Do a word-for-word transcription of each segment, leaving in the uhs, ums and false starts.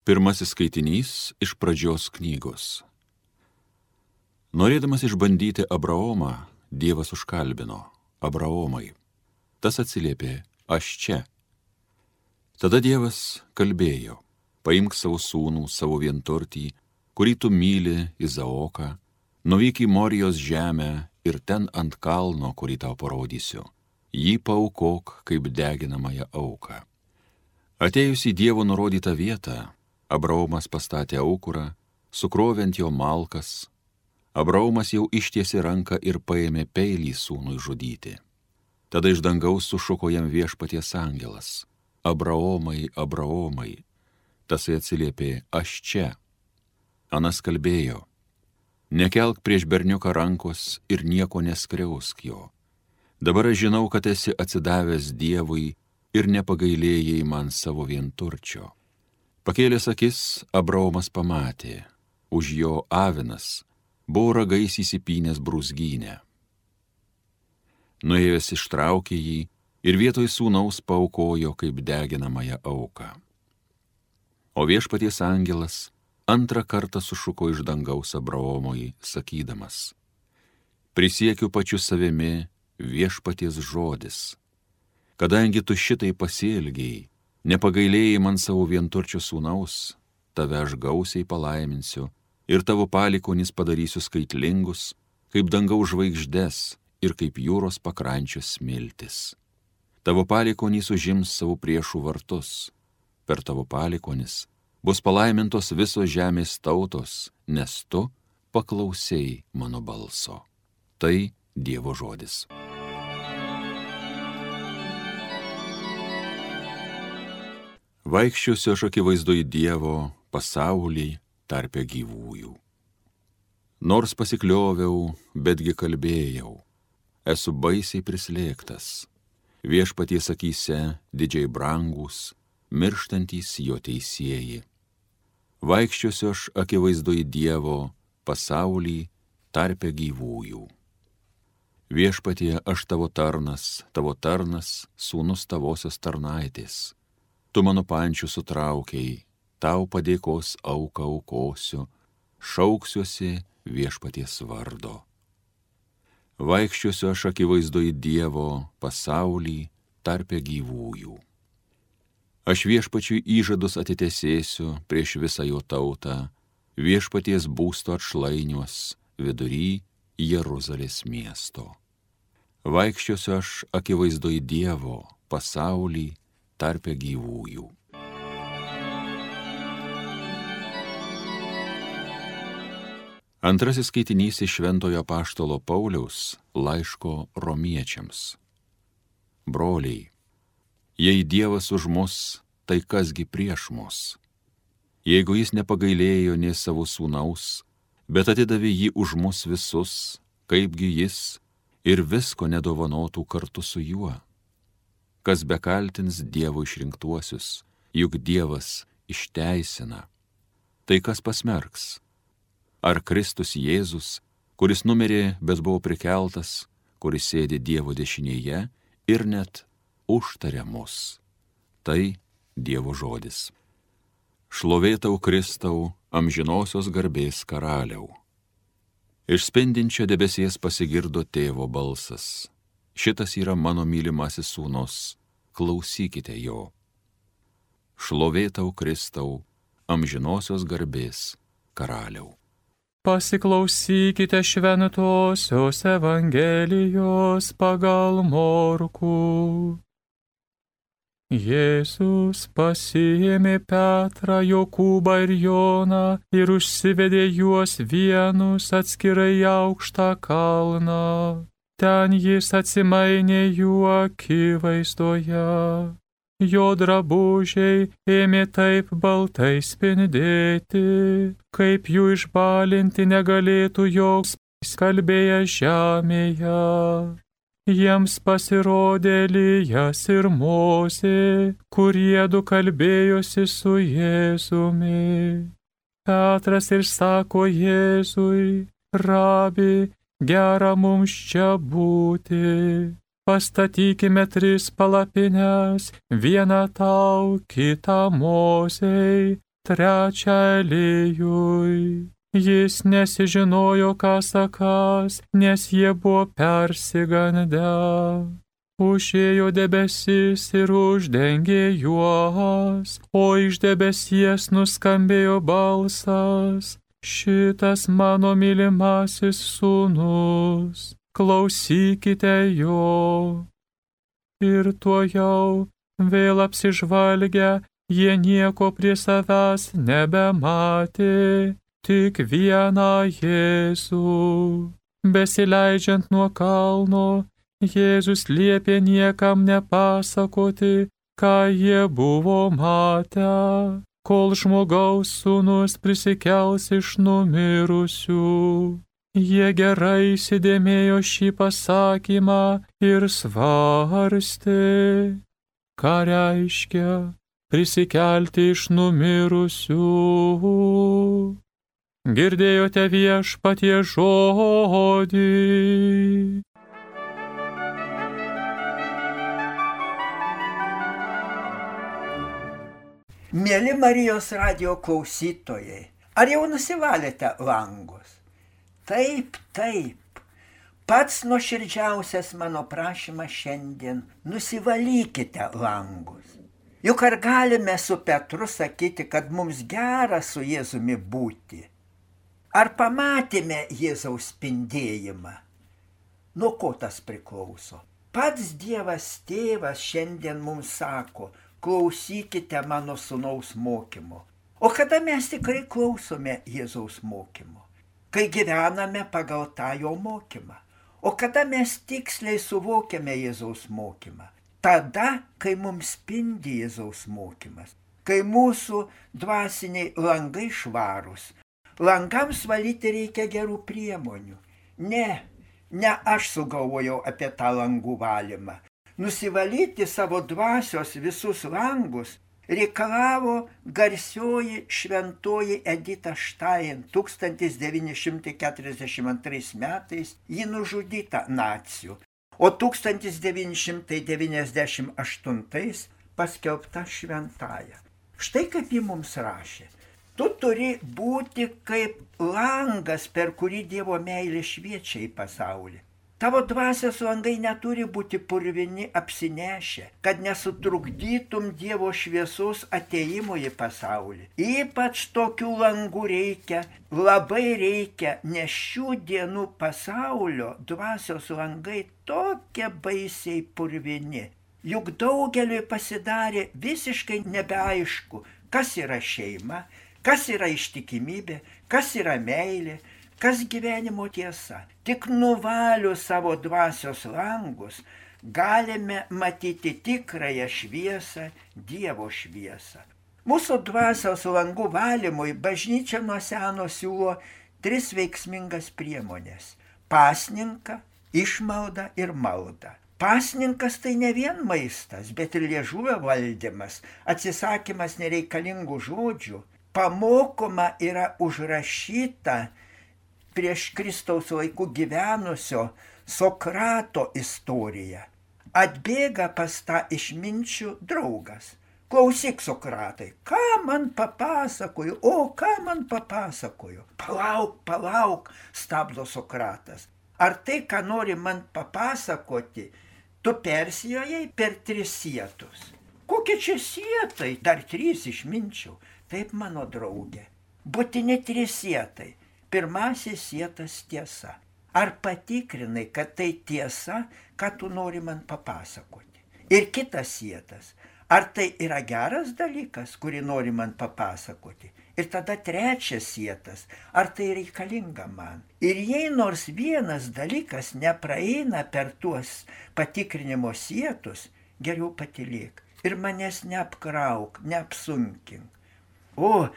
Pirmasis skaitinys iš pradžios knygos. Norėdamas išbandyti Abraomą, Dievas užkalbino: Abraomai. Tas atsiliepė: aš čia. Tada Dievas kalbėjo: paimk savo sūnų, savo vienturtį, kurį tu myli, Izaoką, nuvyk į Morijos žemę ir ten ant kalno, kurį tau parodysiu, jį paaukok kaip deginamąją auką. Atėjus į Dievo nurodytą vietą, Abraomas pastatė aukurą, sukrovė ant jo malkas. Abraomas jau ištiesė ranką ir paėmė peilį sūnui žudyti. Tada iš dangaus sušuko jam viešpaties angelas: Abraomai, Abraomai. Tasai atsiliepė: aš čia. Anas kalbėjo: nekelk prieš berniuką rankos ir nieko neskriausk jo. Dabar aš žinau, kad esi atsidavęs Dievui ir nepagailėjai man savo vienturčio. Pakėlęs akis, Abraomas pamatė, už jo avinas buvo ragais įsipynęs brūzgynę. Nuėjęs ištraukė jį ir vietoj sūnaus paaukojo kaip deginamąją auką. O viešpaties angelas antrą kartą sušuko iš dangaus Abraomui, sakydamas: prisiekiu pačiu savimi, viešpaties žodis. Kadangi tu šitai pasielgiai, nepagailėjai man savo vienturčio sūnaus, tave aš gausiai palaiminsiu ir tavo palikuonis padarysiu skaitlingus, kaip dangaus žvaigždes ir kaip jūros pakrančios smiltis. Tavo palikuonis užims savo priešų vartus. Per tavo palikuonis bus palaimintos visos žemės tautos, nes tu paklausei mano balso. Tai Dievo žodis. Vaikščiosiu aš akivaizdoj Dievo pasaulį tarpe gyvųjų. Nors pasiklioviau, betgi kalbėjau, esu baisiai prislėgtas. Viešpaties akyse didžiai brangus, mirštantys jo teisieji. Vaikščiosiu aš akivaizdoj Dievo pasaulį tarpe gyvųjų. Viešpatie, aš tavo tarnas, tavo tarnas, sūnus tavosios tarnaitės. Tu mano pančių sutraukiai, tau padėkos auką aukosiu, šauksiuosi viešpaties vardo. Vaikščiosiu aš akivaizdoj Dievo pasaulį tarpe gyvųjų. Aš viešpačiui įžadus atitesėsiu prieš visą jo tautą, viešpaties būsto atšlainiuos vidury Jeruzalės miesto. Vaikščiosiu aš akivaizdoj Dievo pasaulį tarpe gyvųjų. Antrasis skaitinys iš Šventojo apaštalo Pauliaus laiško romiečiams. Broliai, jei Dievas už mus, tai kasgi prieš mus? Jeigu jis nepagailėjo nė savo sūnaus, bet atidavė jį už mus visus, kaipgi jis ir visko nedovanotų kartu su juo? Kas bekaltins Dievo išrinktuosius, juk Dievas išteisina. Tai kas pasmerks? Ar Kristus Jėzus, kuris numirė, bet buvo prikeltas, kuris sėdi Dievo dešinėje ir net užtaria mus? Tai Dievo žodis. Šlovė tau, Kristau, amžinosios garbės karaliau. Iš spindinčio debesies pasigirdo tėvo balsas: šitas yra mano mylimasis sūnus, klausykite jo. Šlovė tau, Kristau, amžinosios garbės karaliau. Pasiklausykite šventosios Evangelijos pagal Morkų. Jėzus pasiėmė Petrą, Jokūbą ir Joną ir užsivedė juos vienus atskirai į aukštą kalną. Ten jis atsimainė jų akivaizdoje. Jo drabužiai ėmė taip baltai spindėti, kaip jų išbalinti negalėtų joks skalbėję žemėje. Jiems pasirodė Elijas ir Mozė, kurie du kalbėjosi su Jėzumi. Petras ir sako Jėzui: Rabi, gera mums čia būti. Pastatykime tris palapines, vieną tau, kitą Mozei, trečią Elijui. Jis nesižinojo, ką sakas, nes jie buvo persigandę. Užėjo debesis ir uždengė juos, o iš debesies nuskambėjo balsas: šitas mano mylimasis sūnus, klausykite jo. Ir tuojau, vėl apsižvalgę, jie nieko prie savęs nebematė, tik vieną Jėzų. Besileidžiant nuo kalno, Jėzus liepė niekam nepasakoti, ką jie buvo matę, kol žmogaus sūnus prisikels iš numirusių. Jie gerai įsidėmėjo šį pasakymą ir svarstė, ką reiškia prisikelti iš numirusių. Girdėjote Viešpaties žodį. Mėly Marijos radijo klausytojai, ar jau nusivalėte langus? Taip, taip. Pats nuoširdžiausias mano prašymas šiandien – nusivalykite langus. Juk ar galime su Petru sakyti, kad mums gera su Jėzumi būti? Ar pamatėme Jėzaus spindėjimą? Nuo ko tas priklauso? Pats Dievas Tėvas šiandien mums sako: klausykite mano sūnaus mokymo. O kada mes tikrai klausome Jėzaus mokymo? Kai gyvename pagal tą jo mokymą. O kada mes tiksliai suvokiame Jėzaus mokymą? Tada, kai mums spindi Jėzaus mokymas. Kai mūsų dvasiniai langai švarūs. Langams valyti reikia gerų priemonių. Ne, ne aš sugalvojau apie tą langų valymą. Nusivalyti savo dvasios visus langus reikalavo garsioji šventoji Edita Štain. tūkstantis devyni šimtai keturiasdešimt antrais metais ji nužudyta nacių, o tūkstantis devyni šimtai devyniasdešimt aštuntais paskelbta šventąja. Štai kaip ji mums rašė: tu turi būti kaip langas, per kurį Dievo meilė šviečia į pasaulį. Tavo dvasios langai neturi būti purvini apsinešę, kad nesutrukdytum Dievo šviesos atėjimo į pasaulį. Ypač tokių langų reikia, labai reikia, nes šių dienų pasaulio dvasios langai tokie baisiai purvini. Juk daugeliui pasidarė visiškai nebeaišku, kas yra šeima, kas yra ištikimybė, kas yra meilė, kas gyvenimo tiesa. Tik nuvalius savo dvasios langus galime matyti tikrąją šviesą, Dievo šviesą. Mūsų dvasios langų valymui bažnyčia nuo seno siūlo tris veiksmingas priemonės – pasninką, išmaldą ir maldą. Pasninkas tai ne vien maistas, bet ir liežuvio valdymas, atsisakymas nereikalingų žodžių. Pamokoma yra užrašyta prieš Kristaus laikų gyvenusio Sokrato istorija. Atbėga pas tą išminčių draugas. Klausyk, Sokratai, ką man papasakoju, o ką man papasakoju? Palauk, palauk, stabdo Sokratas. Ar tai, ką nori man papasakoti, tu persijojai per tris sietus? Kokie čia sietai? Dar trys išminčių. Taip, mano draugė. Būtini trys sietai. Pirmasis sietas tiesa. Ar patikrinai, kad tai tiesa, ką tu nori man papasakoti? Ir kitas sietas. Ar tai yra geras dalykas, kurį nori man papasakoti? Ir tada trečias sietas. Ar tai reikalinga man? Ir jei nors vienas dalykas nepraeina per tuos patikrinimo sietus, geriau patylėk. Ir manęs neapkrauk, neapsunkink. O,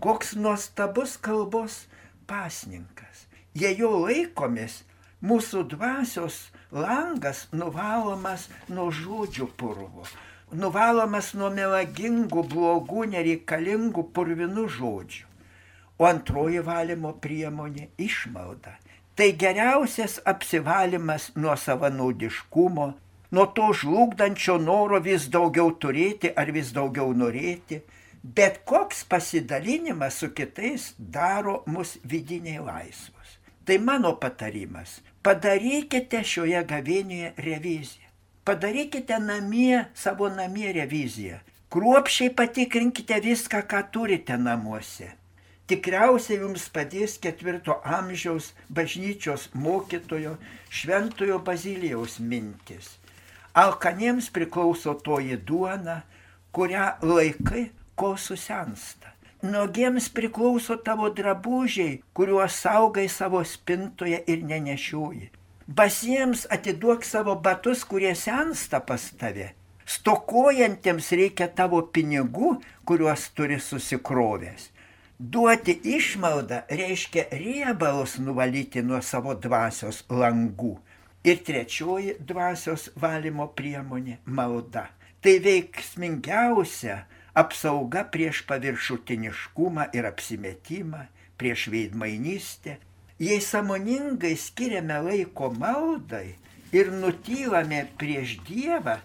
koks nuostabus kalbos pasninkas. Jei jo laikomės, mūsų dvasios langas nuvalomas nuo žodžių purvo, nuvalomas nuo melagingų, blogų, nereikalingų, purvinų žodžių. O antroji valymo priemonė – išmalda. Tai geriausias apsivalymas nuo savanaudiškumo, nuo to žlugdančio noro vis daugiau turėti ar vis daugiau norėti. Bet koks pasidalinimas su kitais daro mus vidiniai laisvus. Tai mano patarimas. Padarykite šioje gavėnioje reviziją. Padarykite namie, savo namie reviziją. Kruopščiai patikrinkite viską, ką turite namuose. Tikriausiai jums padės ketvirto amžiaus bažnyčios mokytojo Šventojo Bazilijaus mintis. Alkaniems priklauso toji duona, kurią laikai, kol susensta. Nuogiems priklauso tavo drabužiai, kuriuos saugai savo spintoje ir nenešioji. Basiems atiduok savo batus, kurie sensta pas tave. Stokojantiems reikia tavo pinigų, kuriuos turi susikrovęs. Duoti išmaldą reiškia riebalus nuvalyti nuo savo dvasios langų. Ir trečioji dvasios valymo priemonė – malda. Tai veiksmingiausia apsauga prieš paviršutiniškumą ir apsimetimą, prieš veidmainystę. Jei sąmoningai skiriame laiko maldai ir nutylame prieš Dievą,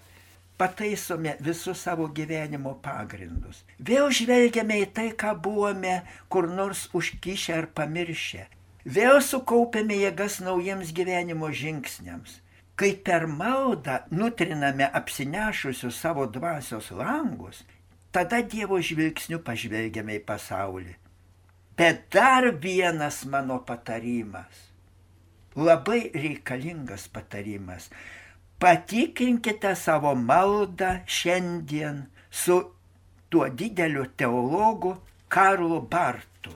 pataisome visus savo gyvenimo pagrindus. Vėl žvelgiame į tai, ką buvome kur nors užkišę ar pamiršę. Vėl sukaupėme jėgas naujiems gyvenimo žingsniams. Kai per maldą nutriname apsinešusius savo dvasios langus, tada Dievo žvilgsniu pažvelgiame į pasaulį. Bet dar vienas mano patarimas, labai reikalingas patarimas. Patikrinkite savo maldą šiandien su tuo dideliu teologu Karlu Bartu.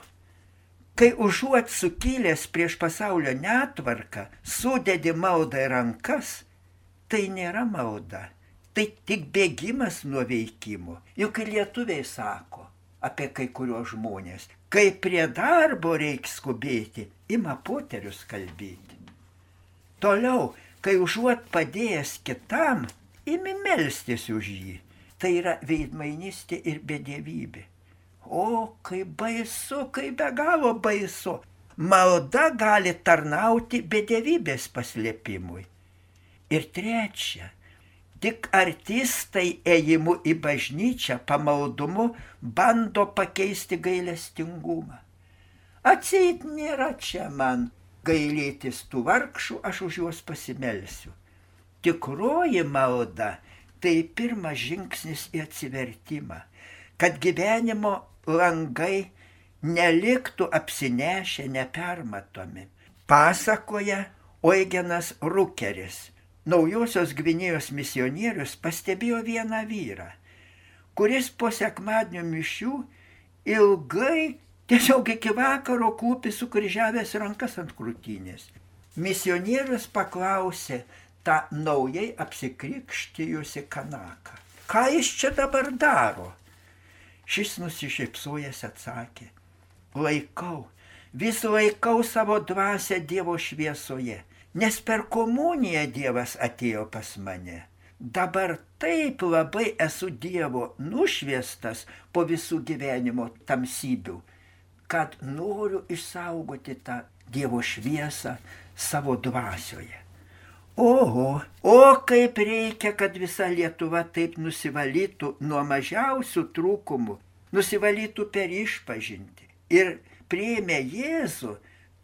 Kai užuot sukilęs prieš pasaulio netvarką, sudedi maldą į rankas, tai nėra malda, tai tik bėgimas nuo veikimo. Juk ir lietuviai sako apie kai kuriuos žmonės, kai prie darbo reiks skubėti, ima poterius kalbėti. Toliau, kai užuot padėjęs kitam, imi melstis už jį. Tai yra veidmainystė ir bedievybė. O, kaip baisu, kaip be galo baisu. Malda gali tarnauti bedievybės paslėpimui. Ir trečia, tik artistai ėjimu į bažnyčią pamaldumu bando pakeisti gailestingumą. Atseit nėra čia man gailėtis tų vargšų, aš už juos pasimelsiu. Tikroji malda tai pirmas žingsnis į atsivertimą, kad gyvenimo langai neliktų apsinešę nepermatomi. Pasakoja Eugenas Rukeris, Naujosios Gvinėjos misionierius, pastebėjo vieną vyrą, kuris po sekmadienio mišių ilgai tiesiog iki vakaro klūpi sukryžiavęs rankas ant krūtinės. Misionierius paklausė tą naujai apsikrikštijusi kanaką. Ką jis čia dabar daro? Šis nusišypsojęs atsakė. Laikau, vis laikau savo dvasią Dievo šviesoje, nes per komuniją Dievas atėjo pas mane. Dabar taip labai esu Dievo nušviestas po visų gyvenimo tamsybių, kad noriu išsaugoti tą Dievo šviesą savo dvasioje. Oho, o kaip reikia, kad visa Lietuva taip nusivalytų nuo mažiausių trūkumų, nusivalytų per išpažintį. Ir priėmė Jėzų,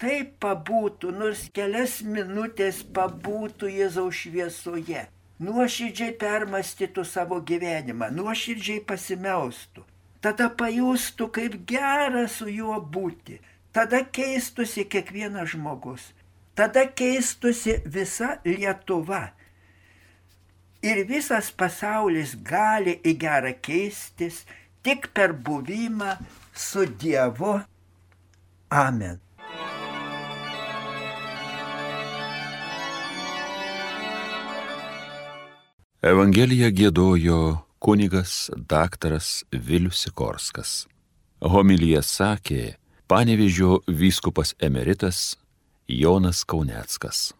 taip pabūtų, nors kelias minutės pabūtų Jėzaus šviesoje. Nuoširdžiai permąstytų savo gyvenimą, nuoširdžiai pasimelstų. Tada pajustų, kaip gera su juo būti. Tada keistusi kiekvienas žmogus. Tada keistusi visa Lietuva. Ir visas pasaulis gali į gerą keistis tik per buvimą su Dievu. Amen. Evangeliją giedojo kunigas daktaras Vilius Sikorskas. Homiliją sakė Panevėžio vyskupas emeritas Jonas Kauneckas.